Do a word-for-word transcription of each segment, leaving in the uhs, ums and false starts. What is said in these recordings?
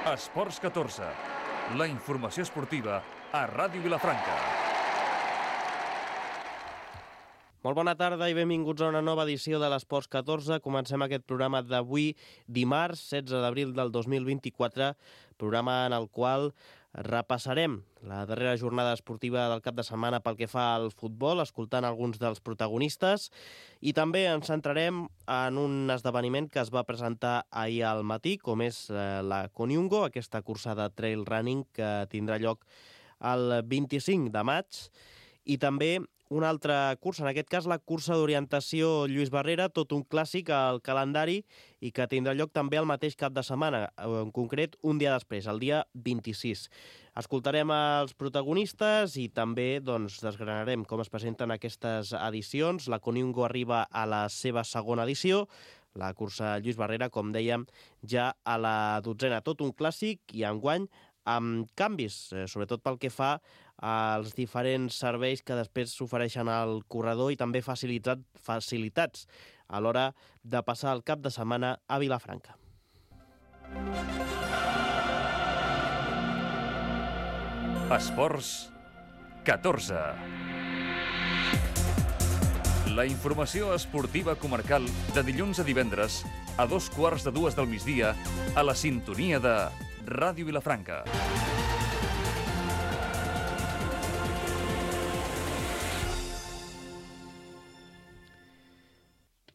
Esports catorze, la informació esportiva a Ràdio Vilafranca. Molt bona tarda i benvinguts a una nova edició de l'Esports catorze. Comencem aquest programa d'avui, dimarts, setze d'abril del dos mil vint-i-quatre, programa en el qual repassarem la darrera jornada esportiva del cap de setmana pel que fa al futbol, escoltant alguns dels protagonistes, i també ens centrarem en un esdeveniment que es va presentar ahir al matí, com és la Koniungo, aquesta cursa de trail running que tindrà lloc el vint-i-cinc de maig, i també una altra cursa, en aquest cas la cursa d'orientació Lluís Barrera, tot un clàssic al calendari i que tindrà lloc també el mateix cap de setmana, en concret un dia després, el dia vint-i-sis. Escoltarem els protagonistes i també doncs, desgranarem com es presenten aquestes edicions. La Koniungo arriba a la seva segona edició, la cursa Lluís Barrera, com dèiem, ja a la dotzena. Tot un clàssic i enguany amb canvis, sobretot pel que fa als diferents serveis que després s'ofereixen al corredor i també facilitat, facilitats a l'hora de passar el cap de setmana a Vilafranca. Esports catorze. La informació esportiva comarcal de dilluns a divendres a dos quarts de dues del migdia a la sintonia de Ràdio Vilafranca.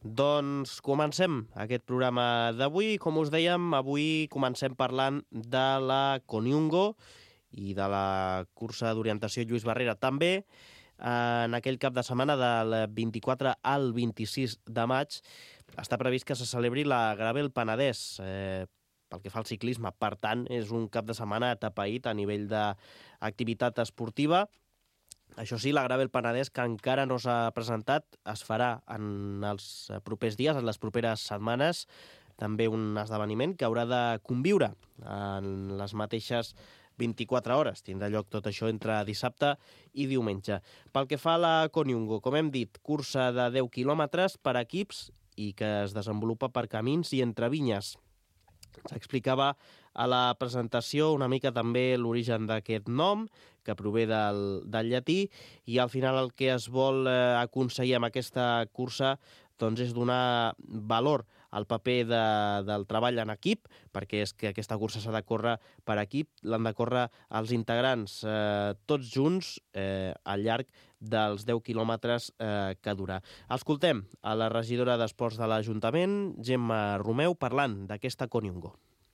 Doncs comencem aquest programa d'avui. Com us dèiem, avui comencem parlant de la Koniungo i de la cursa d'orientació Lluís Barrera també. En aquell cap de setmana del vint-i-quatre al vint-i-sis de maig està previst que se celebri la Gravel Penedès, eh, pel que fa al ciclisme. Per tant, és un cap de setmana atapeït a nivell d'activitat esportiva. Això sí, la Gravel Penedès, que encara no s'ha presentat, es farà en els propers dies, en les properes setmanes. També un esdeveniment que haurà de conviure en les mateixes vint-i-quatre hores. Tindrà lloc tot això entre dissabte i diumenge. Pel que fa a la Koniungo, com hem dit, cursa de deu quilòmetres per equips i que es desenvolupa per camins i entre vinyes. S'explicava a la presentació una mica també l'origen d'aquest nom, que prové del, del llatí, i al final el que es vol eh, aconseguir amb aquesta cursa doncs, és donar valor al paper de, del treball en equip, perquè és que aquesta cursa s'ha de córrer per equip, l'han de córrer els integrants eh, tots junts eh, al llarg dels deu quilòmetres eh, que durà. Escoltem a la regidora d'Esports de l'Ajuntament, Gemma Romeu, parlant d'aquesta Koniungo.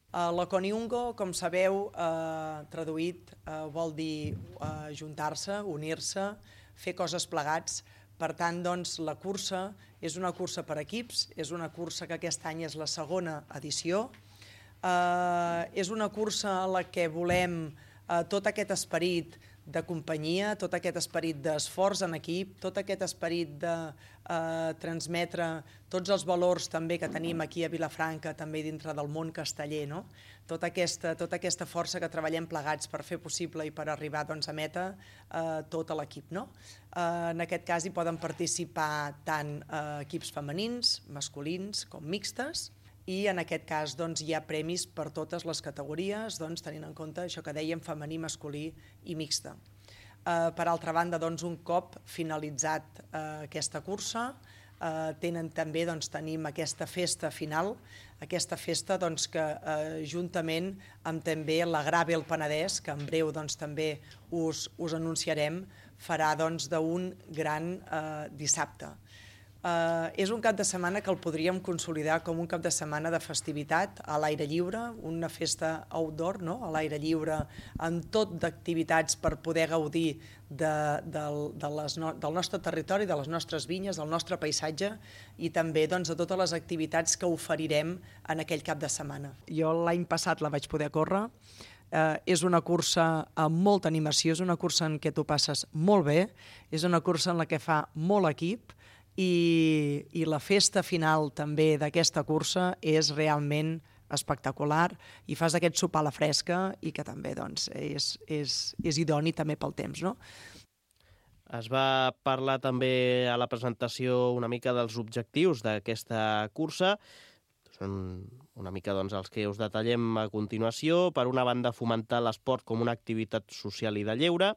La Koniungo, com sabeu, eh, traduït, eh, vol dir eh, juntar-se, unir-se, fer coses plegats. Per tant, doncs, la cursa és una cursa per equips, és una cursa que aquest any és la segona edició. Eh, és una cursa en la que volem eh, tot aquest esperit de companyia, tot aquest esperit d'esforç en equip, tot aquest esperit de eh, transmetre tots els valors també que tenim aquí a Vilafranca, també dintre del món casteller, no? Tota aquesta, tota aquesta força que treballem plegats per fer possible i per arribar doncs, a meta eh, tot a l'equip, no? Eh, en aquest cas hi poden participar tant eh, equips femenins, masculins com mixtes, i en aquest cas doncs, hi ha premis per totes les categories, doncs, tenint en compte això que dèiem, femení, masculí i mixta. Eh, per altra banda, doncs, un cop finalitzat eh, aquesta cursa, eh, tenen també, doncs, tenim aquesta festa final, aquesta festa doncs, que eh, juntament amb també la Gravel Penedès, que en breu doncs, també us, us anunciarem, farà doncs, d'un gran eh, dissabte. Uh, és un cap de setmana que el podríem consolidar com un cap de setmana de festivitat a l'aire lliure, una festa outdoor, no? A l'aire lliure, amb tot d'activitats per poder gaudir de, de, de les no, del nostre territori, de les nostres vinyes, del nostre paisatge i també doncs, de totes les activitats que oferirem en aquell cap de setmana. Jo l'any passat la vaig poder córrer. Uh, és una cursa amb molta animació, és una cursa en què tu passes molt bé, és una cursa en la que fa molt equip, I, i la festa final també d'aquesta cursa és realment espectacular i fas aquest sopar a la fresca i que també doncs, és, és, és idoni també pel temps, no? Es va parlar també a la presentació una mica dels objectius d'aquesta cursa. Són una mica doncs, els que us detallem a continuació. Per una banda, fomentar l'esport com una activitat social i de lleure.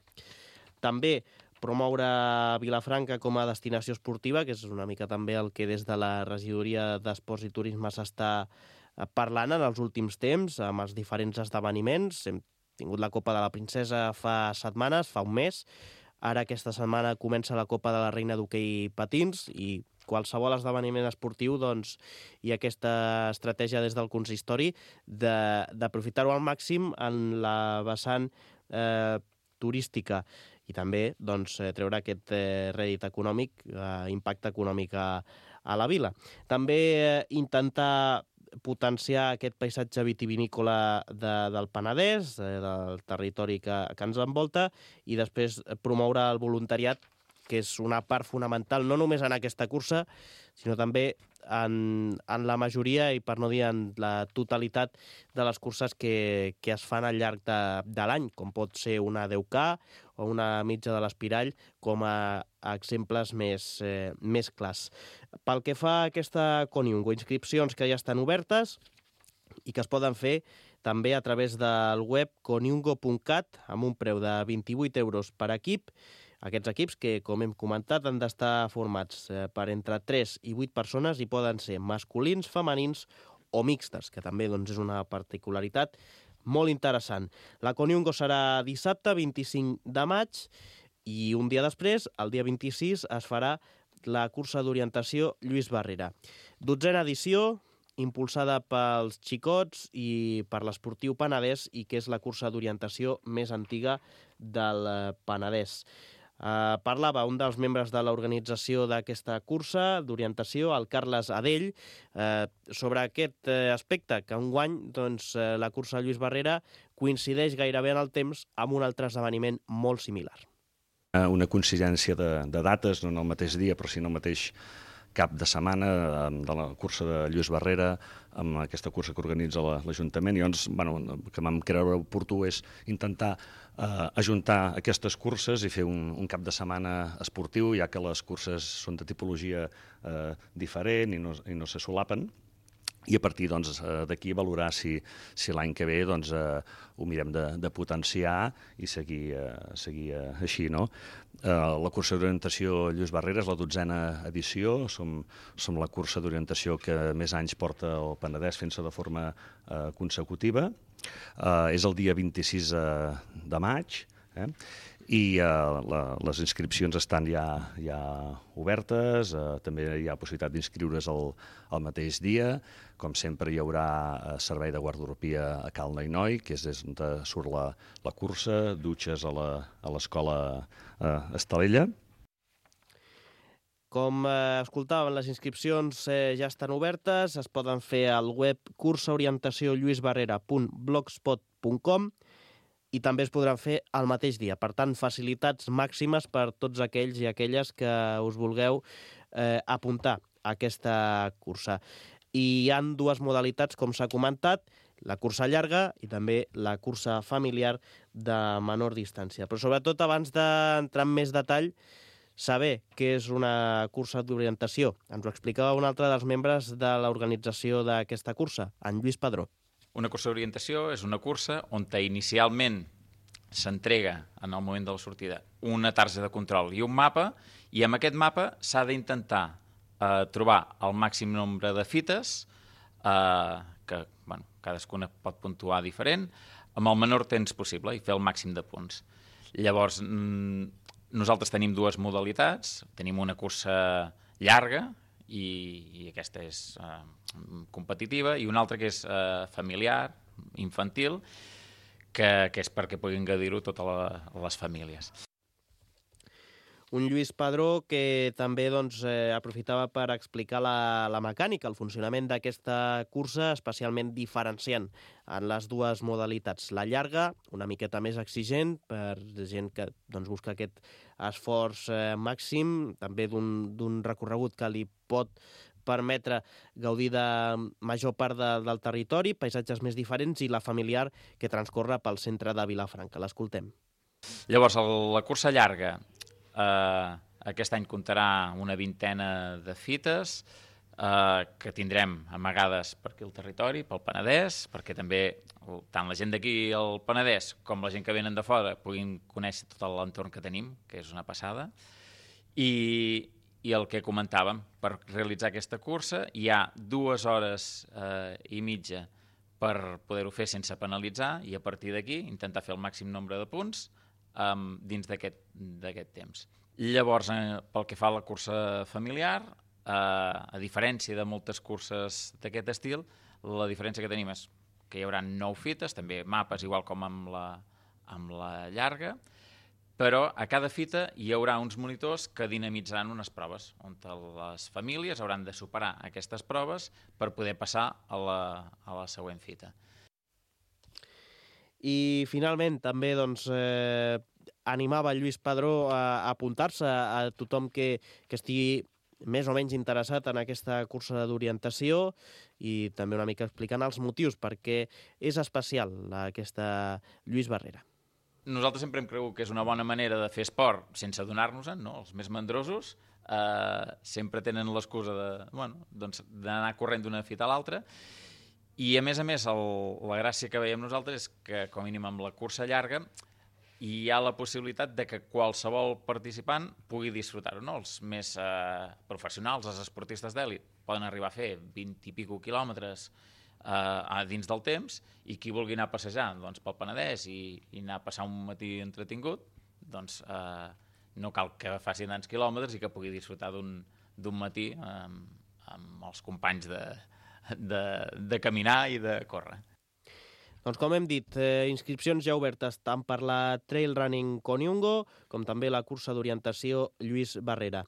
També promoure Vilafranca com a destinació esportiva, que és una mica també el que des de la Regidoria d'Esports i Turisme s'està parlant en els últims temps, amb els diferents esdeveniments. Hem tingut la Copa de la Princesa fa setmanes, fa un mes. Ara aquesta setmana comença la Copa de la Reina d'Hoquei Patins i qualsevol esdeveniment esportiu, doncs, hi ha aquesta estratègia des del consistori d'aprofitar-ho al màxim en la vessant eh, turística i també doncs, treure aquest eh, rèdit econòmic, eh, impacte econòmic a, a la vila. També eh, intentar potenciar aquest paisatge vitivinícola de, del Penedès, eh, del territori que, que ens envolta, i després promoure el voluntariat, que és una part fonamental, no només en aquesta cursa, sinó també en, en la majoria, i per no dir en la totalitat de les curses que, que es fan al llarg de, de l'any, com pot ser una deu K o una mitja de l'Espirall, com a, a exemples més, eh, més clars. Pel que fa a aquesta Coniungo, inscripcions que ja estan obertes i que es poden fer també a través del web coniungo punt cat amb un preu de vint-i-vuit euros per equip. Aquests equips que, com hem comentat, han d'estar formats per entre tres i vuit persones i poden ser masculins, femenins o mixtes, que també doncs, és una particularitat molt interessant. La Coniungo serà dissabte vint-i-cinc de maig i un dia després, el dia vint-i-sis, es farà la cursa d'orientació Lluís Barrera. Dotzena edició, impulsada pels xicots i per l'Esportiu Penedès, i que és la cursa d'orientació més antiga del Penedès. Uh, parlava un dels membres de l'organització d'aquesta cursa d'orientació, el Carles Adell, uh, sobre aquest uh, aspecte, que enguany doncs, uh, la cursa Lluís Barrera coincideix gairebé en el temps amb un altre esdeveniment molt similar. Una coincidència de, de dates, no en el mateix dia, però sí en el mateix cap de setmana de la cursa de Lluís Barrera, amb aquesta cursa que organitza l'Ajuntament. I llavors, bueno, el que vam creure oportú és intentar eh, ajuntar aquestes curses i fer un, un cap de setmana esportiu, ja que les curses són de tipologia eh, diferent i no, i no se solapen. I a partir doncs, d'aquí valorar si, si l'any que ve doncs, eh, ho mirem de, de potenciar i seguir, eh, seguir eh, així. No? Eh, la cursa d'orientació Lluís Barrera és la dotzena edició, som, som la cursa d'orientació que més anys porta el Penedès fent-se de forma eh, consecutiva. Eh, és el dia vint-i-sis de maig, eh? i uh, la, les inscripcions estan ja, ja obertes, uh, també hi ha possibilitat d'inscriure's el, el mateix dia. Com sempre hi haurà uh, servei de guarderopia a Cal Nainoi, que és des d'on surt la, la cursa, dutxes a l'escola uh, Estalella. Com eh, escoltàvem, les inscripcions eh, ja estan obertes, es poden fer al web cursaorientació lluisbarrera punt blogspot punt com i també es podran fer el mateix dia. Per tant, facilitats màximes per tots aquells i aquelles que us vulgueu eh, apuntar a aquesta cursa. I hi ha dues modalitats, com s'ha comentat, la cursa llarga i també la cursa familiar de menor distància. Però sobretot, abans d'entrar en més detall, saber què és una cursa d'orientació. Ens ho explicava un altre dels membres de l'organització d'aquesta cursa, en Lluís Padró. Una cursa d'orientació és una cursa on inicialment s'entrega en el moment de la sortida una tarja de control i un mapa, i amb aquest mapa s'ha d'intentar eh, trobar el màxim nombre de fites, eh, que bueno, cadascuna pot puntuar diferent, amb el menor temps possible i fer el màxim de punts. Llavors, nosaltres tenim dues modalitats, tenim una cursa llarga, i, i aquesta és eh, competitiva, i una altra que és eh, familiar, infantil, que, que és perquè puguin gaudir-ho totes la, les famílies. Un Lluís Padró que també doncs, eh, aprofitava per explicar la, la mecànica, el funcionament d'aquesta cursa, especialment diferenciant en les dues modalitats. La llarga, una miqueta més exigent, per gent que doncs, busca aquest esforç eh, màxim, també d'un recorregut que li pot permetre gaudir de major part de, del territori, paisatges més diferents, i la familiar que transcorre pel centre de Vilafranca. L'escoltem. Llavors, la cursa llarga, eh, aquest any comptarà una vintena de fites, eh, que tindrem amagades per aquí al territori, pel Penedès, perquè també tant la gent d'aquí al Penedès com la gent que venen de fora puguin conèixer tot l'entorn que tenim, que és una passada. I, i el que comentàvem, per realitzar aquesta cursa hi ha dues hores eh, i mitja per poder-ho fer sense penalitzar i a partir d'aquí intentar fer el màxim nombre de punts eh, dins d'aquest temps. Llavors, eh, pel que fa a la cursa familiar, eh, a diferència de moltes curses d'aquest estil, la diferència que tenim és que hi haurà nou fites, també mapes igual com amb la, amb la llarga, però a cada fita hi haurà uns monitors que dinamitzaran unes proves, on les famílies hauran de superar aquestes proves per poder passar a la, a la següent fita. I finalment també doncs, eh, animava Lluís Padró a, a apuntar-se a tothom que, que estigui més o menys interessat en aquesta cursa d'orientació i també una mica explicant els motius perquè és especial aquesta Lluís Barrera. Nosaltres sempre hem cregut que és una bona manera de fer esport sense adonar-nos-en, no? Els més mandrosos eh, sempre tenen l'excusa de, bueno, doncs, d'anar corrent d'una fita a l'altra i a més a més el, la gràcia que veiem nosaltres és que com a mínim amb la cursa llarga hi ha la possibilitat de que qualsevol participant pugui disfrutar-ho, no? Els més eh, professionals, els esportistes d'èlit, poden arribar a fer vint i pico quilòmetres eh, dins del temps i qui vulgui anar a passejar doncs, pel Penedès i, i anar a passar un matí entretingut, doncs eh, no cal que faci tants quilòmetres i que pugui disfrutar d'un d'un matí eh, amb els companys de, de, de caminar i de córrer. Doncs com hem dit, eh, inscripcions ja obertes tant per la Trail Running Koniungo com també la cursa d'orientació Lluís Barrera.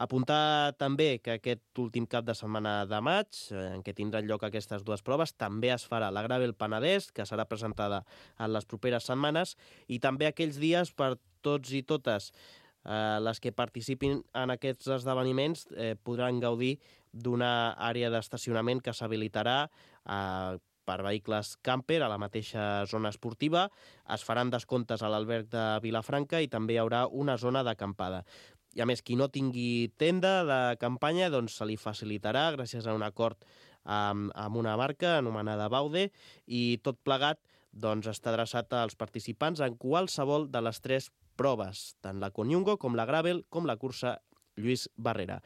Apuntar també que aquest últim cap de setmana de maig, eh, en què tindran lloc aquestes dues proves, també es farà la Gravel Penedès, que serà presentada en les properes setmanes, i també aquells dies per tots i totes eh, les que participin en aquests esdeveniments eh, podran gaudir d'una àrea d'estacionament que s'habilitarà a eh, per vehicles camper a la mateixa zona esportiva. Es faran descomptes a l'alberg de Vilafranca i també hi haurà una zona d'acampada. I a més, qui no tingui tenda de campanya doncs se li facilitarà gràcies a un acord amb, amb una marca anomenada Baude i tot plegat doncs, està adreçat als participants en qualsevol de les tres proves, tant la Koniungo com la Gravel com la cursa Lluís Barrera.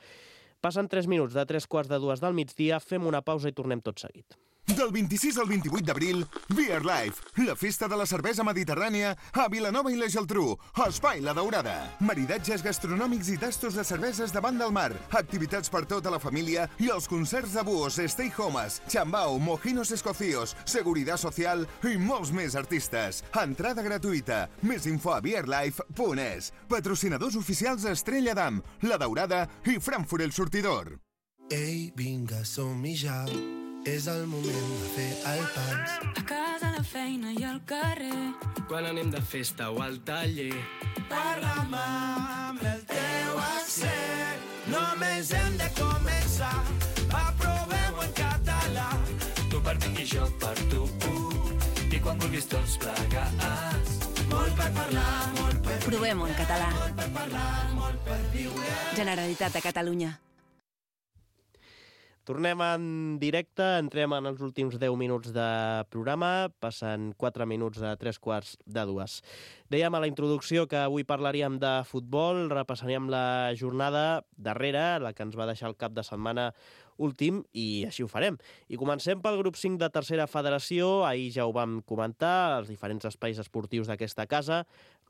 Passen tres minuts de tres quarts de dues del migdia, fem una pausa i tornem tot seguit. Del vint-i-sis al vint-i-vuit d'abril, Beer Life, la festa de la cervesa mediterrània a Vilanova i la Geltrú, Espai La Daurada. Maridatges gastronòmics i tastos de cerveses davant del mar, activitats per tota la família i els concerts de buos, stay homes, chambao, mojinos escocíos, seguridad social i molts més artistes. Entrada gratuïta. Més info a beerlife punt es. Patrocinadors oficials Estrella d'Am, La Daurada i Frankfurt El Sortidor. Ei, vinga, som-hi ja. És el moment de fer el pans. A casa, a la feina i al carrer. Quan anem de festa o al taller. Parla'm amb el teu accent. Només hem de començar. Va, provem-ho en català. Tu per mi i jo per tu. I quan vulguis tots plegats. Molt per parlar, molt per viure. Provem-ho en català. Molt per parlar, molt per viure. Generalitat de Catalunya. Tornem en directe, entrem en els últims deu minuts de programa, passen quatre minuts de tres quarts de dues. Dèiem a la introducció que avui parlaríem de futbol, repassaríem la jornada darrera, la que ens va deixar el cap de setmana últim, i així ho farem. I comencem pel grup cinc de tercera federació, ahir ja ho vam comentar, els diferents espais esportius d'aquesta casa,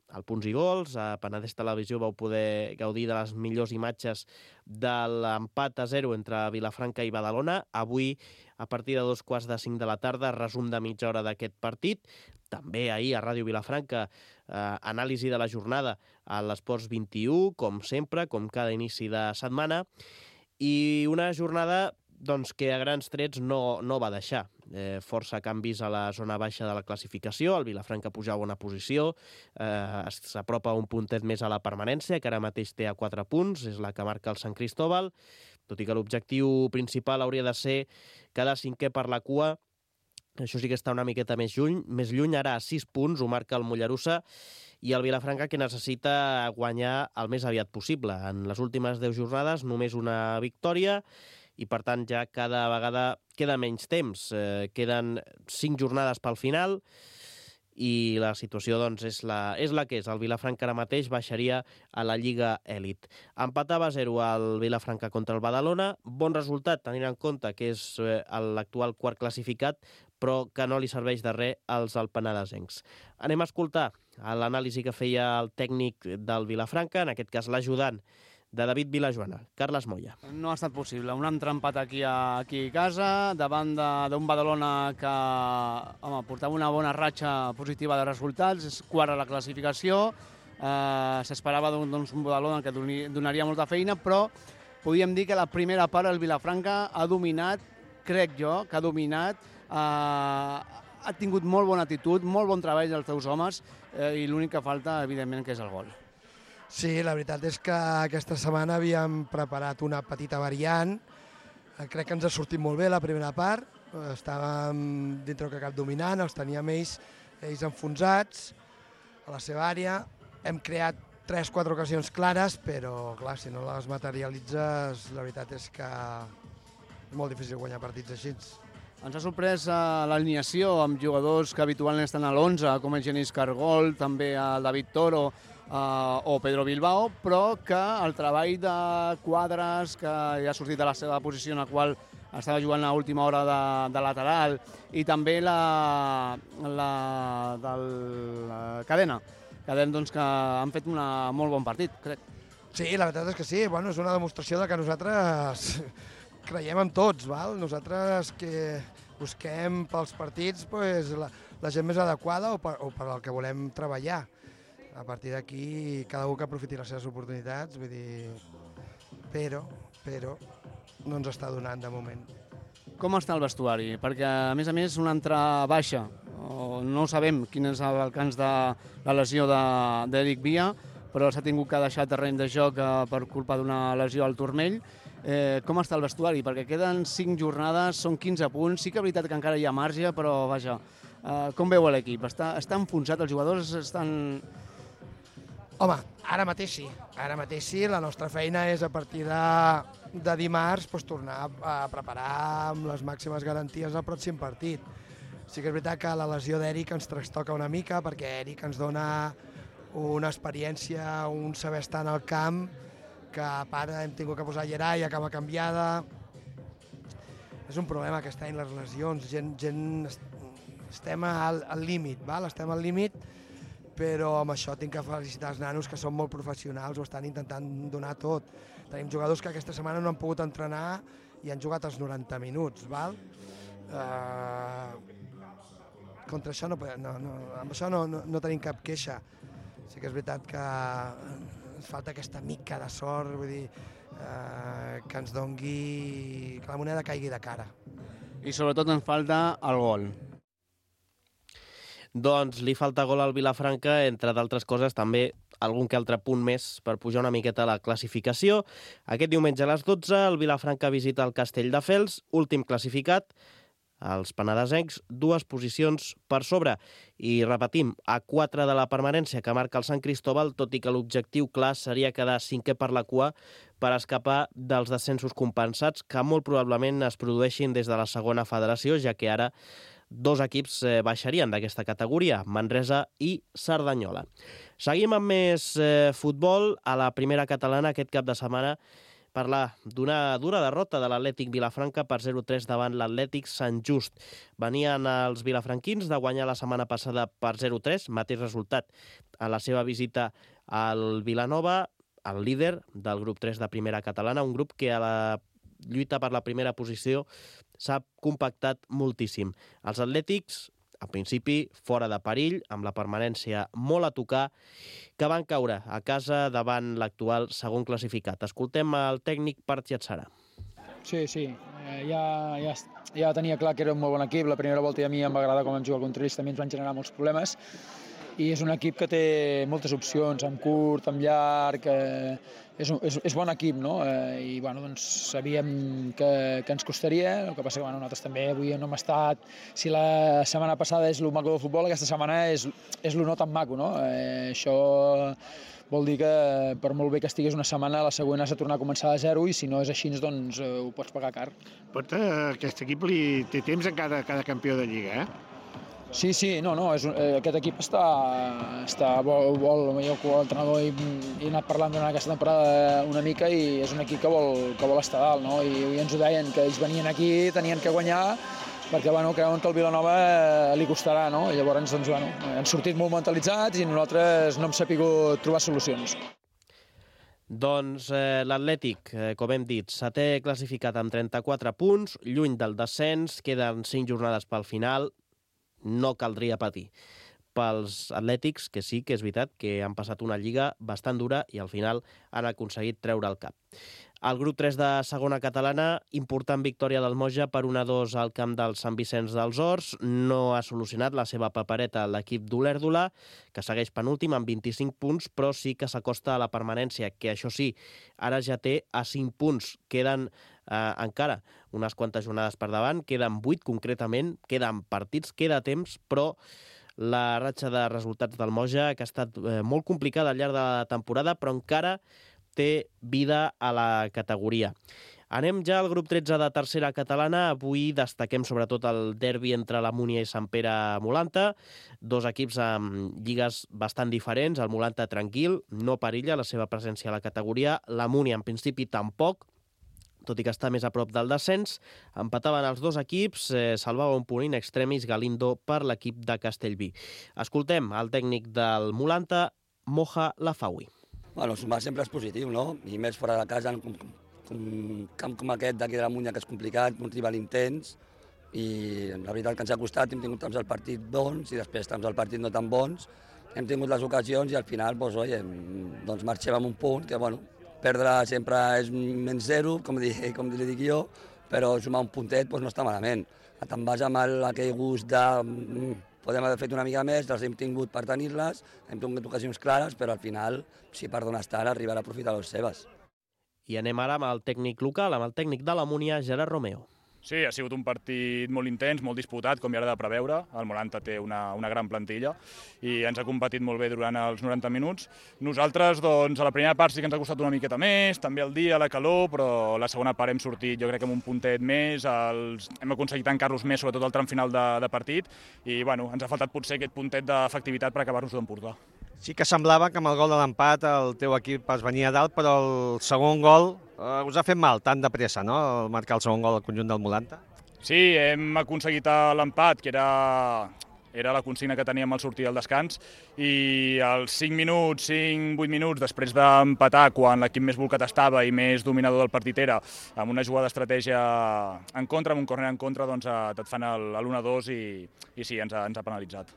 al Punts i Gols, a Penedès Televisió vau poder gaudir de les millors imatges de l'empat a zero entre Vilafranca i Badalona. Avui, a partir de dos quarts de cinc de la tarda, resum de mitja hora d'aquest partit. També ahir a Ràdio Vilafranca, eh, anàlisi de la jornada a l'Esports vint-i-u, com sempre, com cada inici de setmana. I una jornada doncs, que a grans trets no, no va deixar. Eh, força canvis a la zona baixa de la classificació, el Vilafranca pujava una posició, eh, s'apropa un puntet més a la permanència, que ara mateix té a quatre punts, és la que marca el Sant Cristóbal, tot i que l'objectiu principal hauria de ser quedar cinquè per la cua. Això sí que està una miqueta més lluny, més lluny ara a sis punts, ho marca el Mollerussa, i el Vilafranca que necessita guanyar el més aviat possible. En les últimes deu jornades només una victòria, i per tant ja cada vegada queda menys temps. Eh, queden cinc jornades pel final i la situació doncs, és, la, és la que és. El Vilafranca ara mateix baixaria a la Lliga Elit. Empatava a zero al Vilafranca contra el Badalona. Bon resultat, tenint en compte que és eh, l'actual quart classificat, però que no li serveix de res als alpenadesencs. Anem a escoltar l'anàlisi que feia el tècnic del Vilafranca, en aquest cas l'ajudant de David Vilajoana, Carles Moya. No ha estat possible. Un altre empat aquí a, aquí a casa, davant d'un Badalona que home, portava una bona ratxa positiva de resultats, és quart a la classificació, eh, s'esperava doncs, un Badalona que donaria molta feina, però podíem dir que la primera part el Vilafranca ha dominat, crec jo, que ha dominat, eh, ha tingut molt bona actitud, molt bon treball dels teus homes, eh, i l'únic que falta, evidentment, que és el gol. Sí, la veritat és que aquesta setmana havíem preparat una petita variant. Crec que ens ha sortit molt bé la primera part. Estàvem dintre que cap dominant, els teníem ells, ells enfonsats a la seva àrea. Hem creat tres o quatre ocasions clares, però clar, si no les materialitzes, la veritat és que és molt difícil guanyar partits així. Ens ha sorprès l'alineació amb jugadors que habitualment estan a l'onze, com el Genís Cargol, també el David Toro, Uh, o Pedro Bilbao, però que el treball de Quadres, que ja ha sortit de la seva posició en la qual estava jugant a última hora de, de lateral, i també la, la, del, la cadena, cadena doncs, que han fet un molt bon partit, crec. Sí, la veritat és que sí, bueno, és una demostració de que nosaltres creiem en tots, val? Nosaltres que busquem pels partits pues, la, la gent més adequada o per, o per al que volem treballar. A partir d'aquí, cada un que aprofiti les seves oportunitats, vull dir... Però, però, no ens està donant de moment. Com està el vestuari? Perquè, a més a més, una altra baixa. No sabem quin és l'alcance de la lesió d'Eric Via, però s'ha tingut que deixar terreny de joc per culpa d'una lesió al turmell. Eh, com està el vestuari? Perquè queden cinc jornades, són quinze punts. Sí que és veritat que encara hi ha marge, però, vaja, eh, com veu l'equip? Està, està enfonsat, els jugadors estan... Home, ara mateix sí, ara mateix sí, la nostra feina és a partir de, de dimarts pues, tornar a preparar amb les màximes garanties el pròxim partit. Sí que és veritat que la lesió d'Eric ens trastoca una mica perquè Eric ens dona una experiència, un saber estar en el camp, que a part hem tingut que posar Gerai a cama canviada. És un problema aquest any les lesions, gent, gent estem al, al límit, val? estem al límit, però amb això tinc que felicitar els nanos que són molt professionals, ho estan intentant donar tot. Tenim jugadors que aquesta setmana no han pogut entrenar i han jugat els noranta minuts, val? Uh, contra això no, no, no, amb això no, no, no tenim cap queixa. Sí que és veritat que ens falta aquesta mica de sort, vull dir, uh, que ens dongui, que la moneda caigui de cara. I sobretot ens falta el gol. Doncs li falta gol al Vilafranca, entre d'altres coses també algun que altre punt més per pujar una miqueta a la classificació. Aquest diumenge a les dotze el Vilafranca visita el Castelldefels, últim classificat, els penedesencs, dues posicions per sobre. I repetim, a quatre de la permanència que marca el Sant Cristóbal, tot i que l'objectiu clar seria quedar cinquè per la cua per escapar dels descensos compensats que molt probablement es produeixin des de la segona federació, ja que ara dos equips eh, baixarien d'aquesta categoria, Manresa i Cerdanyola. Seguim amb més eh, futbol. A la primera catalana aquest cap de setmana parlar d'una dura derrota de l'Atlètic Vilafranca per zero a tres davant l'Atlètic Sant Just. Venien els vilafranquins de guanyar la setmana passada per zero a tres, mateix resultat a la seva visita al Vilanova, el líder del grup tres de primera catalana, un grup que a la lluita per la primera posició s'ha compactat moltíssim. Els atlètics, al principi, fora de perill, amb la permanència molt a tocar, que van caure a casa davant l'actual segon classificat. Escoltem el tècnic Parth Yatsara. Sí, sí, eh, ja, ja, ja tenia clar que era un molt bon equip. La primera volta a mi em va agradar com vam jugar contra ells, també ens van generar molts problemes. i és un equip que té moltes opcions, amb curt, amb llarg, eh, és, un, és, és bon equip, no? Eh, I bueno, doncs, sabíem que, que ens costaria, el que passa que bueno, nosaltres també avui no hem estat, si la setmana passada és el maco del futbol, aquesta setmana és, és el no tan maco, no? Eh, això vol dir que per molt bé que estigués una setmana, la següent has de tornar a començar de zero i si no és així, doncs eh, ho pots pagar car. Pot, eh, aquest equip li té temps a cada, cada campió de Lliga, eh? Sí, sí, no, no, és, eh, aquest equip està, està vol, vol, jo com a entrenador he, he anat parlant durant aquesta temporada una mica i és un equip que vol, que vol estar dalt, no? I, i ens ho deien, que ells venien aquí, tenien que guanyar, perquè bueno, creuen que el Vilanova eh, li costarà, no? I llavors doncs, bueno, han sortit molt mentalitzats i nosaltres no hem sapigut trobar solucions. Doncs eh, l'Atlètic, eh, com hem dit, setè classificat amb trenta-quatre punts, lluny del descens, queden cinc jornades pel final, no caldria patir pels atlètics, que sí que és veritat que han passat una lliga bastant dura i al final han aconseguit treure el cap. El grup tres de segona catalana, important victòria del Moja per un a dos al camp del Sant Vicenç dels Horts. No ha solucionat la seva papereta l'equip d'Olèrdola, que segueix penúltim amb vint-i-cinc punts, però sí que s'acosta a la permanència, que això sí, ara ja té a cinc punts. Queden eh, encara unes quantes jornades per davant, queden vuit concretament, queden partits, queda temps, però la ratxa de resultats del Moja, que ha estat eh, molt complicada al llarg de la temporada, però encara té vida a la categoria. Anem ja al grup tretze de tercera catalana. Avui destaquem sobretot el derbi entre la Múnia i Sant Pere Molanta, dos equips amb lligues bastant diferents. El Molanta tranquil, no perilla la seva presència a la categoria. La Múnia en principi tampoc, tot i que està més a prop del descens. Empataven els dos equips, eh, salvava un punt in extremis Galindo per l'equip de Castellví. Escoltem el tècnic del Molanta, Moja Lafawi. Bueno, sumar sempre és positiu, no? I més fora de casa, un, un camp com aquest d'aquí de la Múnia, que és complicat, un rival intens, i la veritat que ens ha costat, hem tingut temps al partit bons i després temps al partit no tan bons, hem tingut les ocasions i al final, doncs, oi, doncs marxem amb un punt, que bueno, perdre sempre és menys zero, com, dic, com li dic jo, però sumar un puntet doncs, no està malament. Te'n vas amb el, aquell gust de... Podem haver fet una mica més, les hem tingut per tenir-les, hem tingut ocasions clares, però al final, si per d'on estar, arribarà a aprofitar les seves. I anem ara amb el tècnic local, amb el tècnic de la Múnia, Gerard Romeo. Sí, ha sigut un partit molt intens, molt disputat, com ja era de preveure. El Molanta té una, una gran plantilla i ens ha competit molt bé durant els noranta minuts. Nosaltres, doncs, a la primera part sí que ens ha costat una miqueta més, també el dia, la calor, però a la segona part hem sortit, jo crec que amb un puntet més, els... hem aconseguit tancar-los més, sobretot al tram final de, de partit, i bueno, ens ha faltat potser aquest puntet d'efectivitat per acabar-nos d'emportar. Sí que semblava que amb el gol de l'empat el teu equip es venia a dalt, però el segon gol eh, us ha fet mal, tan de pressa, no?, el marcar el segon gol al conjunt del Molanta. Sí, hem aconseguit l'empat, que era, era la consigna que teníem al sortir del descans, i als cinc minuts, cinc vuit minuts després d'empatar, quan l'equip més volcat estava i més dominador del partit era, amb una jugada d'estratègia en contra, amb un córner en contra, doncs et fan l'u a dos i, i sí, ens ha, ens ha penalitzat.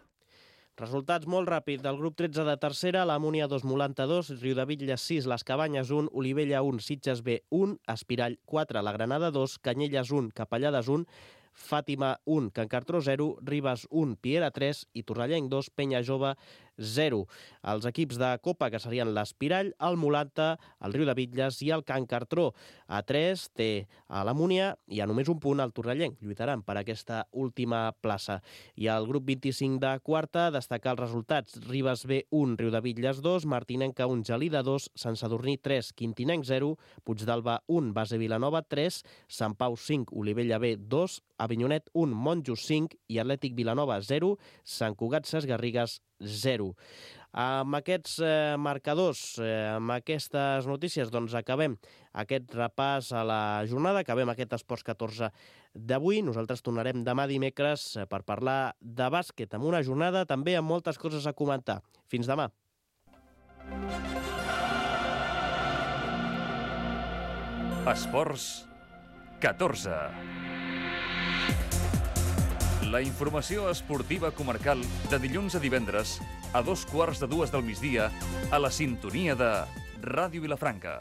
Resultats molt ràpids del grup tretze de tercera, la Múnia dos, Molanta dos, Riudebitlles sis, Les Cabanyes un, Olivella un, Sitges B un, Espirall quatre, La Granada dos, Canyelles un, Capellades un, Fàtima un, Can Cartró zero, Ribes un, Piera tres i Torrellenc dos, Penya Jove zero. Els equips de Copa, que serien l'Espirall, el Molanta, el Riudebitlles i el Can Cartró. A tres té a la Múnia i a només un punt el Torrellenc. Lluitaran per aquesta última plaça. I al grup vint-i-cinc de quarta, destacar els resultats. Ribes B un, Riudebitlles dos, Martinenca un, Gelida dos, Sant Sadurní tres, Quintinenc zero, Puigdàlber un, Base Vilanova tres, Sant Pau cinc, Olivella B dos, Avinyonet un, Monjos cinc i Atlètic Vilanova zero, Sant Cugat Ses Garrigues zero. Amb aquests eh, marcadors, eh, amb aquestes notícies, doncs acabem aquest repàs a la jornada, acabem aquest Esports catorze d'avui. Nosaltres tornarem demà dimecres per parlar de bàsquet, amb una jornada també amb moltes coses a comentar. Fins demà. Esports catorze. La informació esportiva comarcal de dilluns a divendres a dos quarts de dues del migdia a la sintonia de Ràdio Vilafranca.